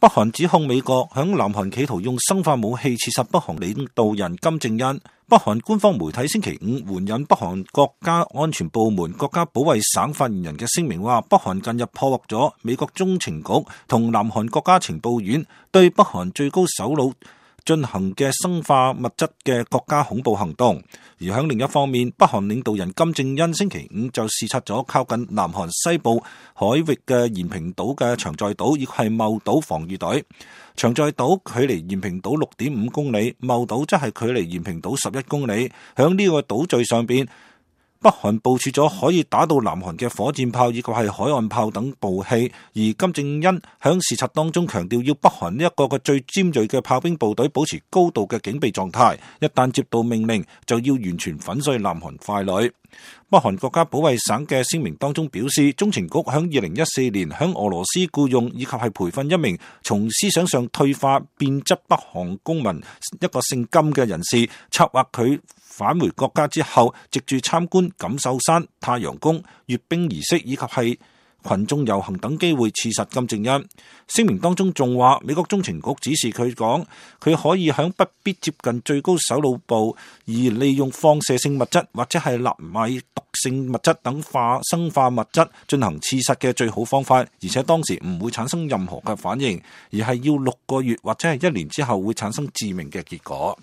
北韓指控美國響南韓企圖用生化武器刺殺北韓領導人金正恩。北韓官方媒體星期五援引北韓國家安全部門國家保衛省發言人嘅聲明話，北韓近日破獲咗美國中情局同南韓國家情報院對北韓最高首腦進行嘅生化物質嘅國家恐怖行動。而喺另一方面，北韓領導人金正恩星期五就視察咗靠近南韓西部海域嘅延坪島嘅長在島，以及係茂島防禦隊。長在島距離延坪島6.5公里，茂島則係距離延坪島11公里。喺呢個島嶼上邊，北韓部署咗可以打到南韓嘅火箭炮以及係海岸炮等武器，而金正恩響視察當中強調，要北韓呢一個最尖銳嘅炮兵部隊保持高度嘅警備狀態，一旦接到命令就要完全粉碎南韓傀儡。北韓國家保衛省嘅聲明當中表示，中情局響2014年響俄羅斯僱用以及係培訓一名從思想上退化變質北韓公民一個姓金嘅人士，策劃佢返回國家之後，藉住參觀錦繡山、太陽宮、閱兵儀式以及係群眾遊行等機會刺殺金正恩。聲明當中仲話，美國中情局指示佢講，佢可以響不必接近最高首腦部，而利用放射性物質或者係納米毒性物質等生化物質進行刺殺嘅最好方法，而且當時唔會產生任何嘅反應，而係要6個月或者係1年之後會產生致命嘅結果。